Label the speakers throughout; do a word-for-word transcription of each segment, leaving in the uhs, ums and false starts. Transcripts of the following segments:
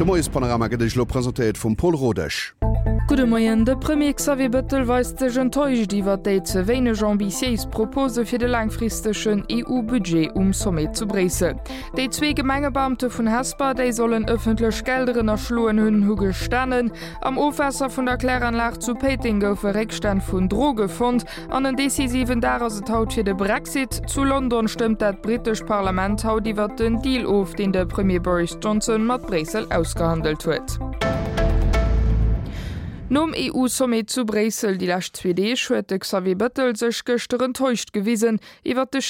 Speaker 1: De Moiespanorama gëtt Iech elo presentéiert vum Paul Rodesch.
Speaker 2: Gudde Moien, De Premier Xavier Bettel weist sech enttäuscht iwwer déi ze wéineg ambitiéis Propose fir de laangfristegen EU-Budget um Sommet zu Bréissel. Déi zwee Gemengebeamte vun Hesper, déi sollen ëffentlech Gelder ënnerschloen hunn, hu gestanen. Am Ofwaasser vun der Kläranlag zu Péiteng goufe Réckstänn vun Droge fonnt. An en decisiven Dag ass et haut fir de Brexit. Zu London stëmmt dat britescht Parlament haut iwwert den Deal of, deen de Premier Boris Johnson mat Bréissel ausgehandelt huet. Nom EU-Sommet zu Bréissel déi lescht zwee Deeg huet de Xavier Bettel sech gëschter enttäuscht gewisen iwwer de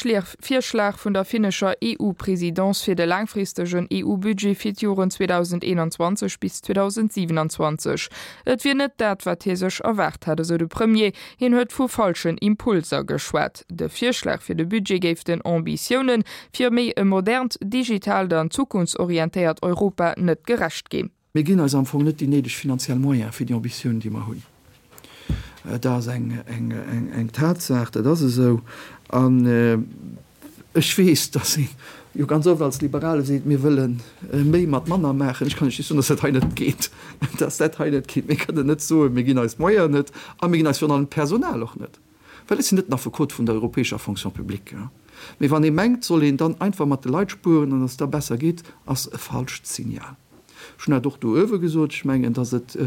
Speaker 2: Virschlag vun der finnescher EU-Presidence fir de laangfristegen EU-Budget fir d'Joren zweedausendeenanzwanzeg bis zweedausendsiewenanzwanzeg. Et wier net dat, wat hie sech erwaart hätt, esou de Premier. Hien huet vu falschen Impulser geschwat. De Virschlag fir de Budget géif den Ambitiounen fir méi e modernt, digitaalt an zukunftsorientéiert Europa net gerecht ginn.
Speaker 3: Mir ginn eis am Fong net déi néideg finanziell Moyene fir déi Ambitiounen, déi mer hunn. Dat ass eng Tatsaach, dat ass esou. An ech weess, dass ee jo ganz oft als Liberale seet, mir wëlle méi mat manner maachen. Ech kann lech just soen, dass dat hei net geet, dass dat hei net geet. Mir kënnen net soen, mir ginn eis d'Moyenen net a mir ginn eis virun allem d'Personal och net, well ech sinn net den Affekot vun der europäescher Fonction publique. Mee wann ee mengt, soll een dann einfach mat de Leit spueren an dass et da besser geet, ass e falscht Signal. Ech hunn dat och do uewe gesot. Ech mengen, dass et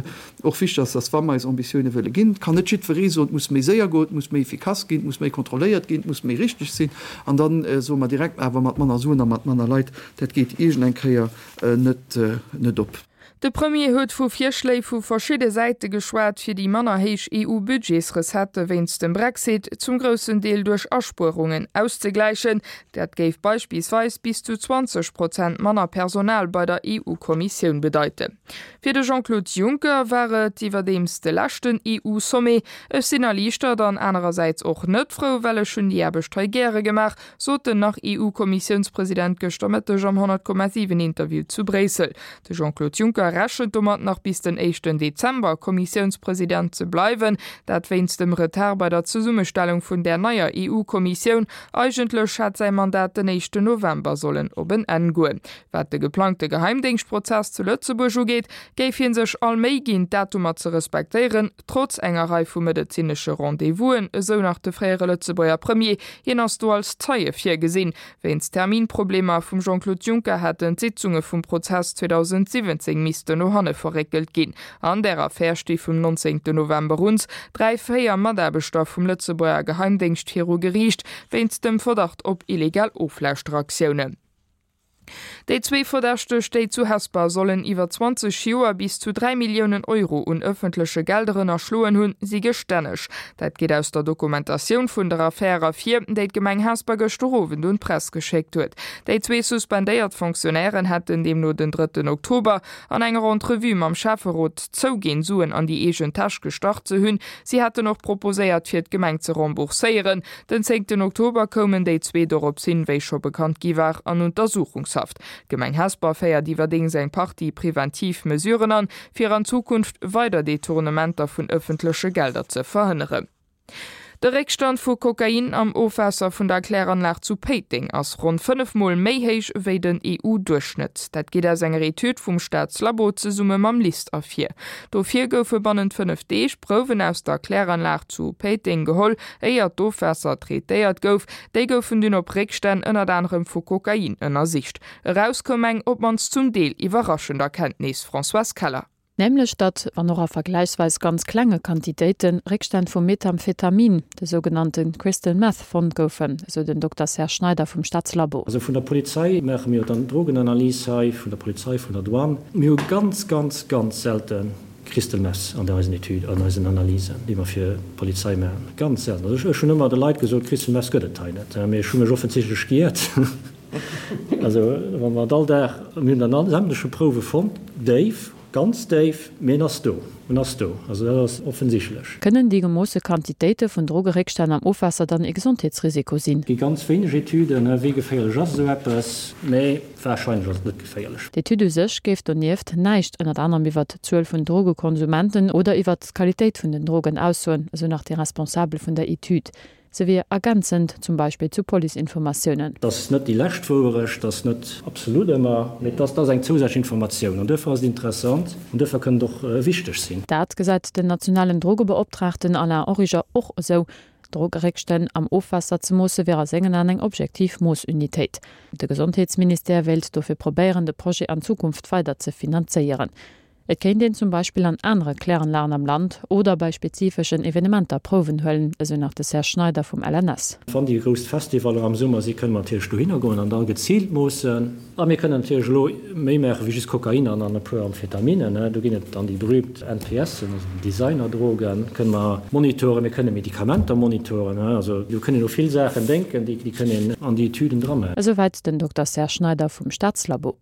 Speaker 3: och wichteg ass, dass, wa mer eis Ambitioune wëlle ginn, et kann net jiddweree soen, et muss méi séier goen, et muss méi efficace ginn, et muss méi kontrolléiert ginn, et muss méi richteg sinn, an da soe mer direkt, awer mat manner Suen a mat manner Leit, dat geet iergend eng Kéier net op.
Speaker 2: De Premier huet vu Virschléi vu verschidde Säite geschwat, fir déi manner héich EU-Budgetsrecettë wéinst dem Brexit zum groussen Deel duerch Aspuerungen auszegläichen. Dat géif beispillsweis bis zu zwanzeg Prozent manner Personal bei der EU-Kommissioun bedeiten. Fir de Jean-Claude Juncker war et iwwerdeems de leschten EU-Sommet. Ech sinn erliichtert an anerersäits och net frou, well ech hunn déi Aarbecht hei gäre gemaach, sot den Nach-EU-Kommissiounspresident gëschter Mëtteg am honnert Komma siwen Interview zu Bréissel. De Jean-Claude Juncker rechent domat, nach bis den éischten Dezember Kommissiounspresident ze bleiwen. Dat wéinst dem Retard bei der Zesummestellung vun där neier EU-Kommissioun. Eigentlech hätt säi Mandat den éischten November sollen op en Enn goen. Wat de geplangte Geheimdéngschtprozess zu Lëtzebuerg ugeet, géif hie sech all Méi ginn, d'Datumer ze respektéieren, trotz enger Rei vu medezinesche Rendez-vousen, esou nach de fréiere Lëtzebuerger Premier. Hien ass do als Zeie virgesinn. Wéinst Terminproblemer vum Jean-Claude Juncker hätten d'Sitzunge vum Prozess zweedausendsiwwenzéng missten no hanne verréckelt ginn. An där Affär sti vum nonzéngten November uns dräi fréier Mataarbechter vum Lëtzebuerger Geheimdéngscht viru Geriicht wéinst dem Verdacht op illegal Oflauschteraktioune. Déi zwee Verdächteg, déi zu Hesper sollen iwwer zwanzeg Joer bis zu dräi Milliounen Euro un ëffentleche Gelder ënnerschloen hunn, si gestänneg. Dat geet aus der Dokumentatioun vun der Affär ervir, déi d'Gemeng Hesper gëschter Owend un d'Press geschéckt huet. Déi zwee suspendéiert Fonctionnairen hätten deemno den drëtten Oktober an enger Entrevue mam Schäfferot zouginn, Suen an déi eegen Täsch gestach ze hunn. Si hätten och proposéiert, fir d'Gemeng ze rembourséieren. Den zéngten Oktober koumen déi zwee dorops hin, wéi scho bekannt gi war, an Untersuchungshaft. D'Gemeng Hesper féiert iwwerdeems eng Partie preventiv Mesuren an, fir an Zukunft weider Detournementer vun ëffentleche Gelder ze verhënneren. De Réckstand vu Kokain am Ofwaasser vun der Kläranlag zu Péiteng ass ronn fënnef Mol méi héich wéi den E U-Duerchschnëtt. Dat geet aus enger Etüd vum Staatslabo zesumme mam LIST ervir. Dofir goufe bannent fënnef Deeg Prouwen aus der Kläranlag zu Péiteng geholl, éier d'Ofwaasser traitéiert gouf. Déi goufen dunn op Réckstänn ënnert anerem vu Kokain ënnersicht. Eraus koum eng, op d'mannst zum Deel, iwwerraschend Erkenntnis. Françoise Keller.
Speaker 4: Nämlech datt, wann och a vergläichsweis ganz klenge Quantitéiten, Réckstänn vu Methamphetamin, de sougenannte Crystal Meth, fonnt goufen, esou den Dokter Serge Schneider vum Staatslabo.
Speaker 5: Also vun der Polizei maache mir jo dann d'Drogenanalys hei, vun der Polizei, vun der Douane. Mir hu ganz, ganz, ganz selte Crystal Meth an eisen Etüden, an eisen Analysen, déi mer fir d'Polizei maachen. Ganz selten. Also ech hunn ëmmer de Leit gesot, Crystal Meth gëtt et hei net. Mee ech hu mech offensichtlech giert. Also wa mer et all Dag, mir hunn dann sämtleche Prouwe fonnt, déif, ganz déif, mee en ass do, en ass do. Also dat ass offensichtlech.
Speaker 4: Kënnen déi gemoosse Quantitéite vun Drogeréckstänn am Ofwaasser dann ee Gesondheetsrisiko sinn?
Speaker 5: Et gi ganz wéineg Etüden, wéi geféierlech ass esou eppes, mee warscheinlech ass et net geféierlech.
Speaker 4: D'Etüd u sech géif donieft näischt ënnert anerem iwwert d'Zuel vun Drogekonsumenten oder iwwert d'Qualitéit vun den Drogen aussoen, esou nach déi Responsabel vun der Etüd. Se wier ergänzend, zum Beispill zu Policeinformatiounen.
Speaker 5: Dat ass net déi lescht Wouerecht, dat ass net absolut ëmmer, mee dat ass eng zousätzlech Informatioun an duerfir ass et interessant an duerfir kënnt et och wichteg sinn.
Speaker 4: Dat gesäit den nationalen Drogebeoptraagten Alain Origer och esou. D'Drogeréckstänn am Ofwaasser ze moosse wier a sengen Aen eng objektiv Moossunitéit. De Gesondheetsministère wéilt dofir probéieren, de Projet an Zukunft weider ze finanzéieren. Et kéint een zum Beispill an anere Kläranlagen am Land oder bei spezifeschen Evenementer Prouwen huelen, esou nach de Serge Schneider vum L N S.
Speaker 5: Wann déi grouss Festivaller am Summer si kënne mer natierlech dohinner goen an da geziilt moossen. A mir kënnen natierlech elo méi maache wéi just Kokain an an e puer Amphetaminen. Do ginn et dann déi berühmt N P Sen, also déi Designerdrogen, kënne mer monitoren. Mir kënne Medikamenter monitoren. Also do kënne een u vill Saachen denken, déi kënne een an déi Etüden dramaachen.
Speaker 4: Esouwäit den Dokter Serge Schneider vum Staatslabo.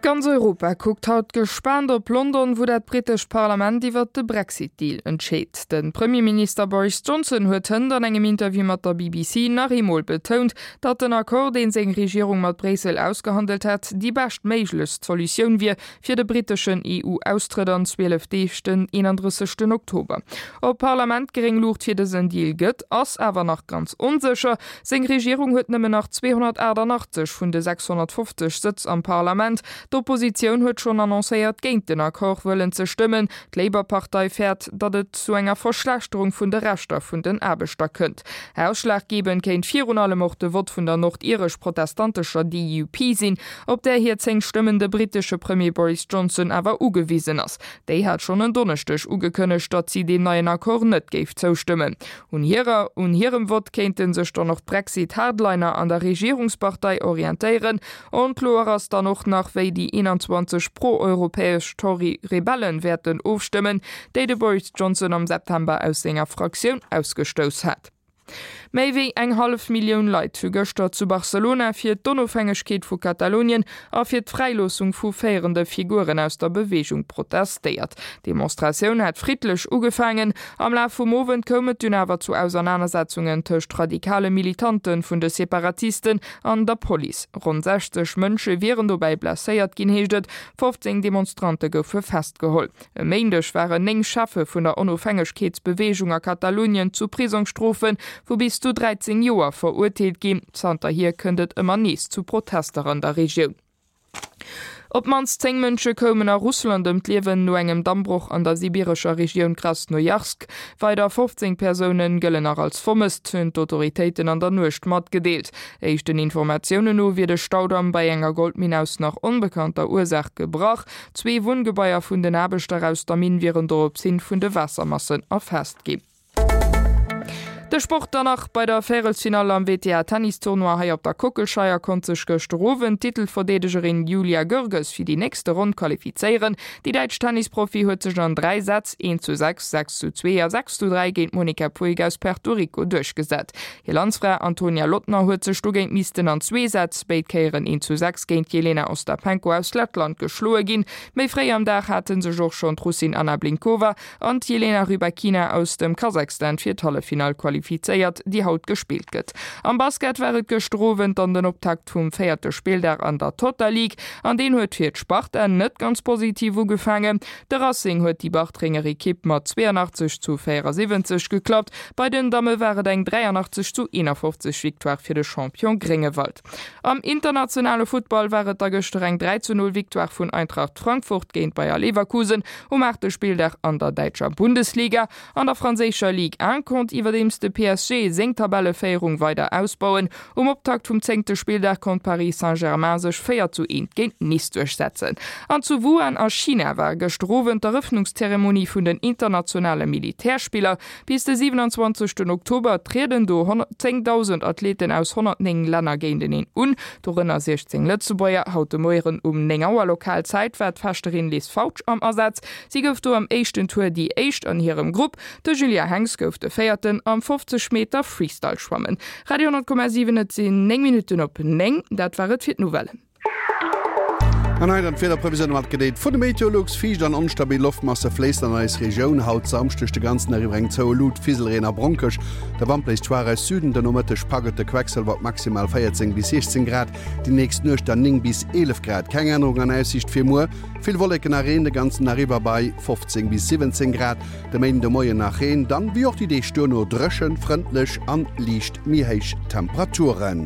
Speaker 2: Ganz Europa kuckt haut gespaant op London, wou dat britescht Parlament iwwer de Brexit-Deal entscheet. De Premierminister Boris Johnson huet hënt an engem Interview mat der B B C nach eemol betount, datt den Accord, deen seng Regierung mat Bréissel ausgehandelt hätt, déi beschtméiglechst Solutioun wier fir de briteschen E U-Austrëtt an zwielef Deeg, den eenandrëssegsten Oktober. Ob d'Parlament gréng Luucht fir dësen Deal gëtt, ass awer nach ganz onsécher. Seng Regierung huet nëmmen nach zweehonnertaachtanachtzeg vun de sechshonnertfofzeg Sëtz am Parlament. D'Oppositioun huet schonn annoncéiert, géint den Accord wëllen ze stëmmen. D'Labour-Partei fäert, datt et zu enger Verschlechterung vun de Rechter vun den Aarbechter kënnt. Ausschlaggebend kéint virun allem och de Vott vun der nordiresch-protestantescher D U P sinn, op där hir zéng Stëmmen de britesche Premier Boris Johnson awer ugewisen ass. Déi hat schonn en Donneschdeg ugekënnegt, datt si deem neien Accord net géif zoustëmmen. Un hirer un hirem Vott kéinte sech dann och d'Brexit-Hardliner an der Regierungspartei orientéieren. Onkloer ass dann och nach, wéi déi eenanzwanzeg pro-europäesch Tory-Rebellen wäerten ofstëmmen, déi de Boris Johnson am September aus senger Fraktioun ausgestouss hat. Méi wéi eng hallef Millioun Leit hu gëschter zu Barcelona fir d'Onofhängegkeet vu Katalonien a fir d'Fräiloossung vu féierende Figuren aus der Beweegung protestéiert. D'Demonstratioun hat friddlech ugefaangen, am Laf vum Owend koum et dunn awer zu Ausernanersetzungen tëscht radikale Militante vun de Separatisten an der Police. Ronn sechzeg Mënsche wieren dobäi blesséiert ginn, heescht et, fofzéng Demonstrante goufe festgeholl. E Méindeg waren néng Cheffe vun der Onofhängegkeetsbeweegung a Katalonien zu Prisongsstrofe vu bis zu dräizéng Joer verurteelt ginn. Zanterhier kënnt et ëmmer nees zu Protester an der Regioun. Op d'mannst zéng Mënsche koumen a Russland ëm d'Liewen no engem Dammbroch an der sibirescher Regioun Krasnojarsk. Weider fofzéng Persoune gëllen nach als vermësst, hunn d'Autoritéiten an der Nuecht matgedeelt. Éischten Informatiounen no wier de Staudamm bei enger Goldminn aus nach onbekannter Ursaach gebrach. Zwee Wunngebaier vun den Aarbechter aus der Minn wieren doropshin vun de Waassermassen erfaasst ginn. De Sport dann nach, Bei der Véierelsfinall am W T A-Tennistournoi hei op der Kockelscheier konnt sech gëschter Owend d'Titelverdeedegerin Julia Görges fir déi nächste Ronn qualifizéieren. Déi däitsch Tennisprofi huet sech an dräi Sätz, eent zu sechs, sechs zu zwee a sechs zu dräi géint d'Monica Puig aus Puerto Rico duerchgesat. Hir Landsfra Antonia Lottner huet sech dogéint missten an zwee Sätz, béid Kéieren eent zu sechs, géint d'Jelena Ostapenko aus Lettland geschloe ginn. Méi fréi am Dag hate sech och schonn d'Russin Anna Blinkova an d'Jelena Rybakina aus dem Kasachstan fir d'Halleffinall qualifizéiert, déi haut gespillt gëtt. Am Basket war et gëschter Owend dann den Optakt vum véierte Spilldag an der Total League an deen huet fir d'Sparta net ganz positiv ugefaangen. De Racing huet déi Bartrenger Ekipp mat zweeanachtzeg zu véierasiwwenzeg geklappt. Bei den Damme war et eng dräianachtzeg zu eenafofzeg Victoire fir de Champion Gréngewald. Am internationale Futtball war et da gëschter eng dräi zu null Victoire vun Eintracht Frankfurt géint Bayer Leverkusen um aachte Spilldag an der däitscher Bundesliga. An der franséischer Ligue eent konnt iwwerdeems de P S G seng Tabelleféierung weider ausbauen. Um Optakt vum zéngte Spilldag konnt Paris Saint-Germain sech véier zu eent géint Nice duerchsetzen. An zu Wuhan a China war gëschter Owend d'Erëffnungszeremonie vun den internationale Militärspiller. Bis de siewenundzwanzegsten Oktober trieden do zéngdausend Athleten aus honnertnéng Länner géinteneen un, dorënner siechzéng Lëtzebuerger. Haut de Moien um néng Auer Lokalzäit war d'Fechterin Liz Fautsch am Asaz. Si gouf do am éischten Tour déi éischt an hirem Grupp. De Julien Henx gouf de Véierten am fofzeg Meter Freestyle schwammen. Radio honnert Komma siwen, et sinn néng Minutten op néng. Dat war et fir d'Nouvellen.
Speaker 1: An hei dann d'Wiederprevisioun matgedeelt vun de Meteolux, Fiicht an onstabil Loftmasse fléissen an eis Regioun. Haut Samschdeg de ganzen Dag iwwer eng zoue Lut, Fiselreen a Bronkeg. De Wand bléist schwaach aus Süden, de Nomëtteg packt et de Quecksëlwer op maximal véierzéng bis siechzéng Grad, déi nächst Nuecht dann néng bis eelef Grad. Keng Ännerung an Aussiicht fir muer, vill Wolleken a Reen de ganzen Dag iwwer bei fofzéng bis siwwenzéng Grad. De Méinden de Moien nach Reen, dann wéi och déi Deeg duerno dréchen, frëndlech an liicht méi héich Temperaturen.